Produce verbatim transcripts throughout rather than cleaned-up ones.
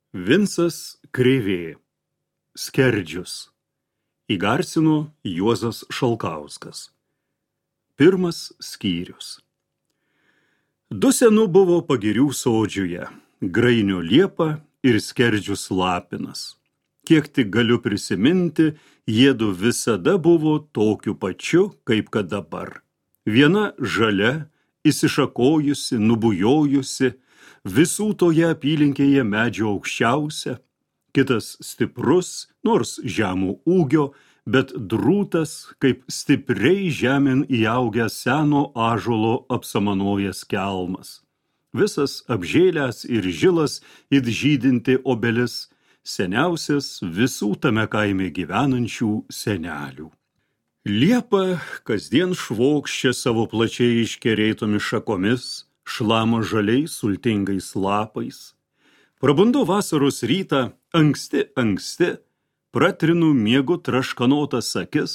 Vincas Krėvė. Skerdžius. Įgarsino Juozas Šalkauskas. Pirmas skyrius. Du senu buvo pagirių sodžiuje, Grainio liepa ir Skerdžius lapinas. Kiek tik galiu prisiminti, jiedu visada buvo tokiu pačiu, kaip kad dabar. Viena žalia, įsišakojusi, nubujojusi, visų toje apylinkėje medžio aukščiausia, kitas stiprus, nors žemų ūgio, bet drūtas, kaip stipriai žemėn įaugęs seno ąžuolo apsamanojęs kelmas. Visas apžėlęs ir žilas it žydinti obelis, seniausias visų tame kaime gyvenančių senelių. Liepa kasdien švokščia savo plačiai iškerėtomis šakomis, šlama žaliais sultingais lapais. Prabundu vasaros rytą, anksti, anksti, pratrinu miegu traškanotas akis,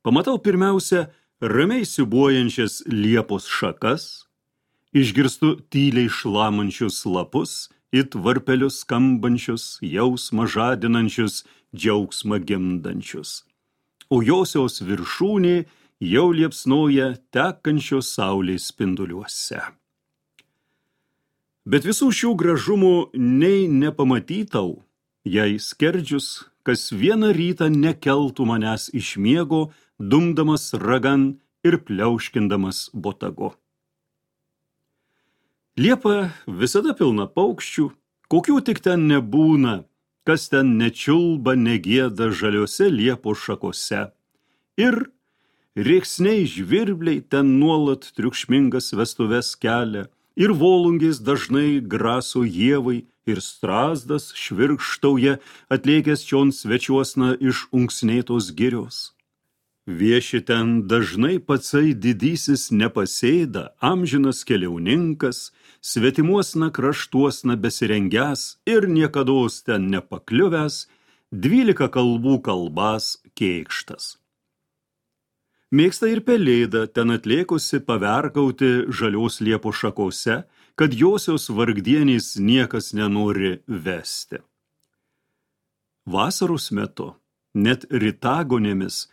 pamatau pirmiausia ramiai siūbuojančias liepos šakas, išgirstu tyliai šlamančius lapus, it varpelius skambančius, jausmą žadinančius, džiaugsmą gimdančius. O josios viršūnė jau liepsnoja tekančios saulės spinduliuose. Bet visų šių gražumų nei nepamatytau, jei Skerdžius kas vieną rytą nekeltų manęs iš miego, dumdamas ragan ir pliauškindamas botagu. Liepa visada pilna paukščių, kokių tik ten nebūna, kas ten nečiulba, negieda žaliose liepos šakose. Ir rėksniai žvirbliai ten nuolat triukšmingas vestuves kelia, ir volungės dažnai graso ievai, ir strazdas švirkštauja, atlėkęs čion svečiuosna iš unksnėtos girios. Vieši ten dažnai patsai didysis nepasėda, amžinas keliauninkas, svetimuosna kraštuosna besirengęs ir niekados ten nepakliuvęs, dvylika kalbų kalbas kėkštas. Mėgsta ir pelėda ten atlėkusi paverkauti žalios liepos šakose, kad josios vargdienės niekas nenori vesti. Vasaros metu, net rytagonėmis,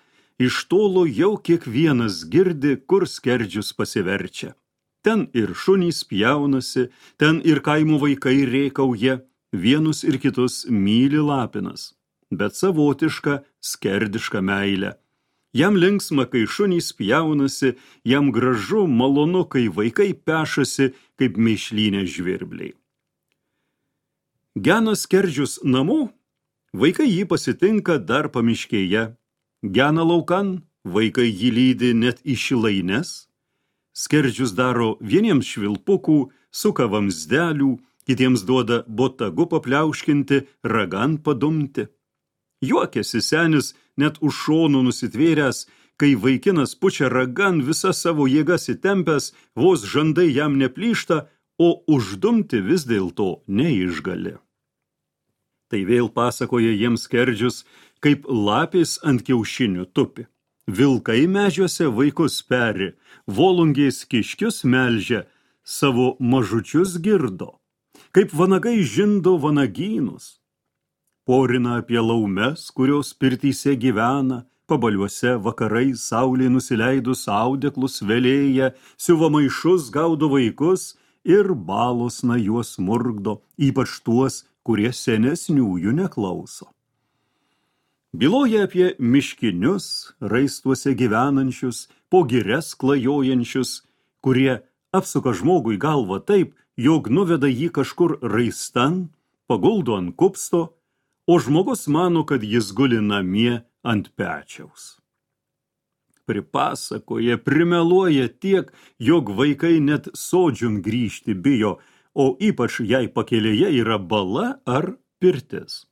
iš tolo jau kiekvienas girdi, kur Skerdžius pasiverčia. Ten ir šunys pjaunasi, ten ir kaimo vaikai rėkauja, vienus ir kitus myli lapinas, bet savotišką skerdišką meilę. Jam linksma, kai šunys pjaunasi, jam gražu, malonu, kai vaikai pešasi, kaip mėšlynė žvirbliai. Gena Skerdžius namo, vaikai jį pasitinka dar pamiškėje. Gena laukan, vaikai jį lydi net į šilaines. Skerdžius daro vieniems švilpukų, suka vamzdelių, kitiems duoda botagu papliauškinti, ragan padumti. Juokiasi senis net už šonų nusitvėręs, kai vaikinas pučia ragan visą savo jėgas įtempęs, vos žandai jam neplyšta, o uždumti vis dėlto neišgali. Tai vėl pasakoja jiems Skerdžius, kaip lapės ant kiaušinių tupi. Vilkai medžiuose vaikus peri, volungės kiškius melžia, savo mažučius girdo, kaip vanagai žindo vanagynus. Porina apie laumes, kurios pirtyse gyvena, pabaliuose vakarais saulė nusileidus audeklus velėja, siuva maišus gaudo vaikus ir balosna juos murgdo, ypač tuos, kurie senesniųjų neklauso. Byloja apie miškinius, raistuose gyvenančius, po girias klajojančius, kurie apsuka žmogui galvą taip, jog nuveda jį kažkur raistan, paguldo ant kupsto, o žmogus mano, kad jis guli namie ant pečiaus. Pripasakoja, primeluoja tiek, jog vaikai net sodžiun grįžti bijo, o ypač jei pakelėje yra bala ar pirtis.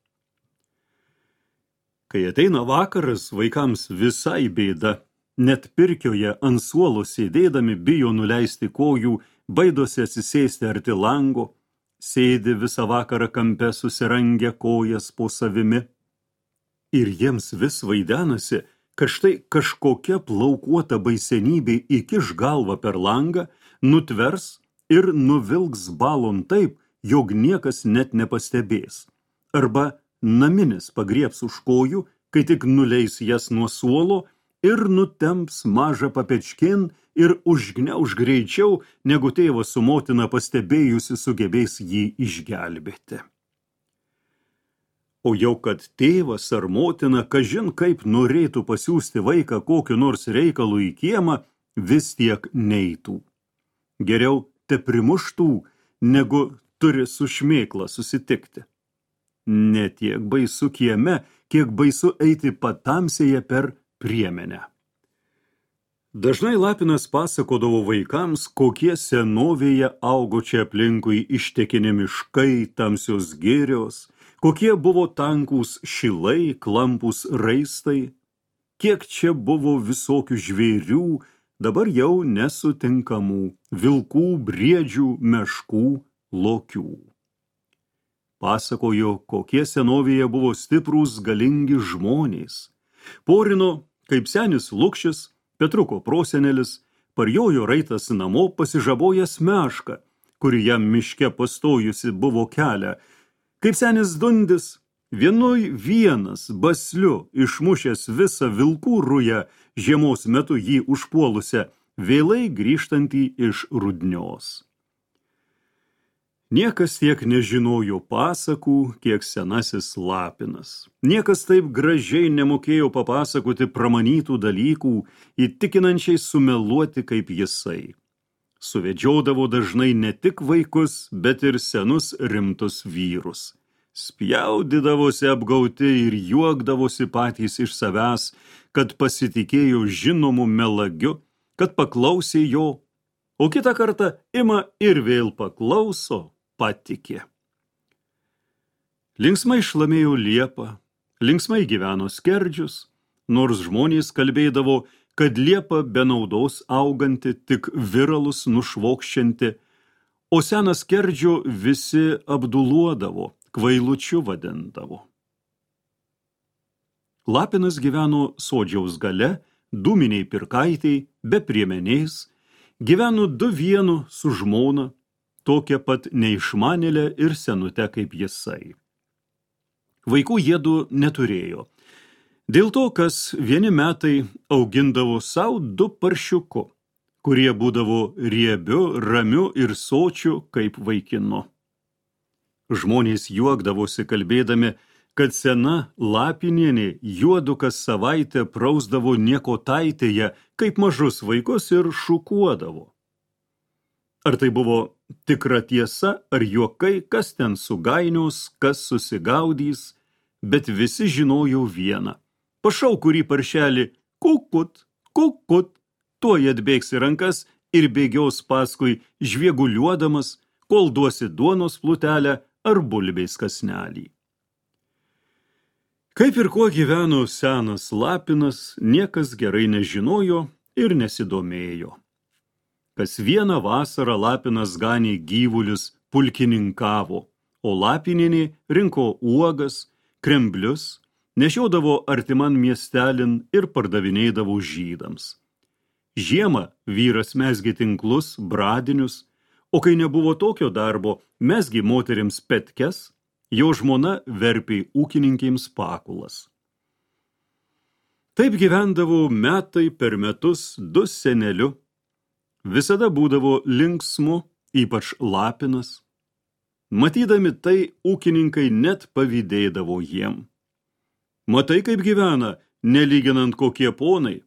Kai ateina vakaras, vaikams visai bėda, net pirkioje ant suolo sėdėdami bijo nuleisti kojų, baidosi atsisėsti arti lango, sėdi visą vakarą kampe susirangę kojas po savimi. Ir jiems vis vaidenasi, kad štai kažkokia plaukuota baisenybė įkiš galvą per langą, nutvers ir nuvilks balon taip, jog niekas net nepastebės. arba naminis pagriebs už kojų, kai tik nuleis jas nuo suolo ir nutemps mažą papečkin ir užgniauž greičiau, negu tėvas su motina pastebėjusi sugebės jį išgelbėti. O jau kad tėvas ar motina kažin kaip norėtų pasiųsti vaiką kokiu nors reikalu į kiemą, vis tiek neitų. Geriau te primuštų, negu turi su šmėkla susitikti. Ne tiek baisu kieme, kiek baisu eiti patamsėje per priemenę. Dažnai Lapinas pasakodavo vaikams, kokie senovėje augo čia aplinkui ištekini miškai, tamsios girios, kokie buvo tankūs šilai, klampūs raistai, kiek čia buvo visokių žvėrių, dabar jau nesutinkamų, vilkų, briedžių, meškų, lokių. Pasakojo, kokie senovėje buvo stiprūs, galingi žmonės. Porino, kaip senis Lukšis, Petruko prosenelis, parjojo raitas namo pasižabojęs mešką, kuri jam miške pastojusi buvo kelią. Kaip senis Dundis, vienoj vienas basliu išmušęs visą vilkų rują, žiemos metu jį užpuolusią, vėlai grįžtantį iš Rudnios. Niekas tiek nežinojo pasakų, kiek senasis Lapinas. Niekas taip gražiai nemokėjo papasakoti pramanytų dalykų, įtikinančiai sumeluoti kaip jisai. Suvedžiodavo dažnai ne tik vaikus, bet ir senus rimtus vyrus. Spjaudydavosi apgauti ir juokdavosi patys iš savęs, kad pasitikėjo žinomu melagiu, kad paklausė jo, o kitą kartą ima ir vėl paklauso, patikė. Linksmai šlamėjo liepa, linksmai gyveno skerdžius, nors žmonės kalbėdavo, kad liepa be naudos auganti, tik viralus nušvokščianti, o seną skerdžio visi apduluodavo, kvailučiu vadindavo. Lapinas gyveno sodžiaus gale, dūminiai pirkaitei, be priemenės, gyveno du vienu su žmona, tokia pat neišmanėlė ir senute kaip jisai. Vaikų jiedu neturėjo. Dėl to, kas vieni metai augindavo savo du paršiuku, kurie būdavo riebiu, ramiu ir sočiu kaip vaikinu. Žmonės juokdavosi kalbėdami, kad sena Lapinienė juodu kas savaitę prausdavo niekotaitėje, kaip mažus vaikus ir šukuodavo. Ar tai buvo tikra tiesa, ar juokai, kas ten sugainios, kas susigaudys, bet visi žinojo vieną. Pašau kurį paršelį, kukut, kukut, tuoj atbėgs į rankas ir bėgios paskui žvieguliuodamas, kol duosi duonos plutelę ar bulbės kasnelį. Kaip ir kuo gyveno senas Lapinas, niekas gerai nežinojo ir nesidomėjo. Kas vieną vasarą Lapinas ganė gyvulius, pulkininkavo, o Lapinienė rinko uogas, kremblius, nešiodavo artiman miestelin ir pardavinėdavo žydams. Žiemą vyras mezgė tinklus, bradinius, o kai nebuvo tokio darbo, mezgė moterims petkes, jo žmona verpė ūkininkėms pakulas. Taip gyvendavo metai per metus du seneliu. Visada būdavo linksmu, ypač Lapinas. Matydami tai, ūkininkai net pavydėdavo jiem. Matai, kaip gyvena, nelyginant kokie ponai.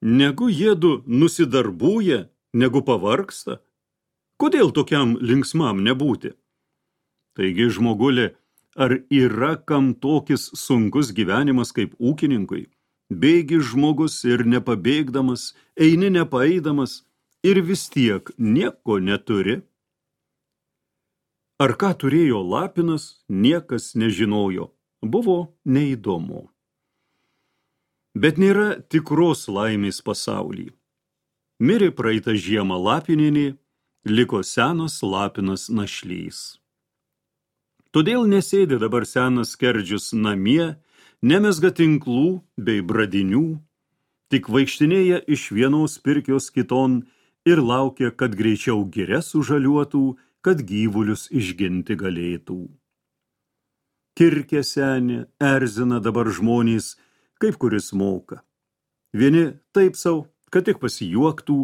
Negu jiedu nusidarbūja, negu pavargsta. Kodėl tokiam linksmam nebūti? Taigi, žmogulė, ar yra kam tokis sunkus gyvenimas kaip ūkininkui? Bėgi žmogus ir nepabėgdamas, eini nepaeidamas ir vis tiek nieko neturi. Ar ką turėjo Lapinas, niekas nežinojo, buvo neįdomu. Bet nėra tikros laimės pasaulį. Mirė praeitą žiemą Lapinienė, liko senas Lapinas našlys. Todėl nesėdi dabar senas skerdžius namie, nemezga tinklų bei bradinių, tik vaikštinėja iš vienos pirkios kiton ir laukia, kad greičiau giria sužaliuotų, kad gyvulius išginti galėtų. Kirkė senė, erzina dabar žmonės, kaip kuris moka. Vieni taip sau, kad tik pasijuoktų,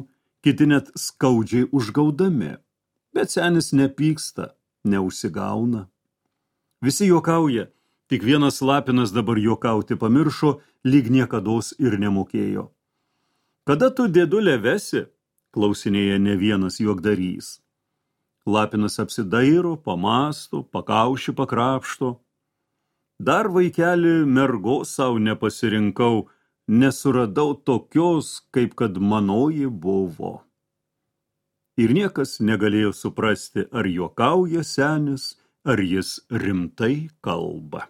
kiti net skaudžiai užgaudami. Bet senis nepyksta, neužsigauna. Visi juokauja, tik vienas Lapinas dabar juokauti pamiršo, lyg niekados ir nemokėjo. Kada tu, dėdulė, vesi? Klausinėja ne vienas juokdarys. Lapinas apsidairo, pamasto, pakaušį pakrapšto. Dar vaikeli mergos savo nepasirinkau, nesuradau tokios, kaip kad manoji buvo. Ir niekas negalėjo suprasti, ar juokauja senis, ar jis rimtai kalba.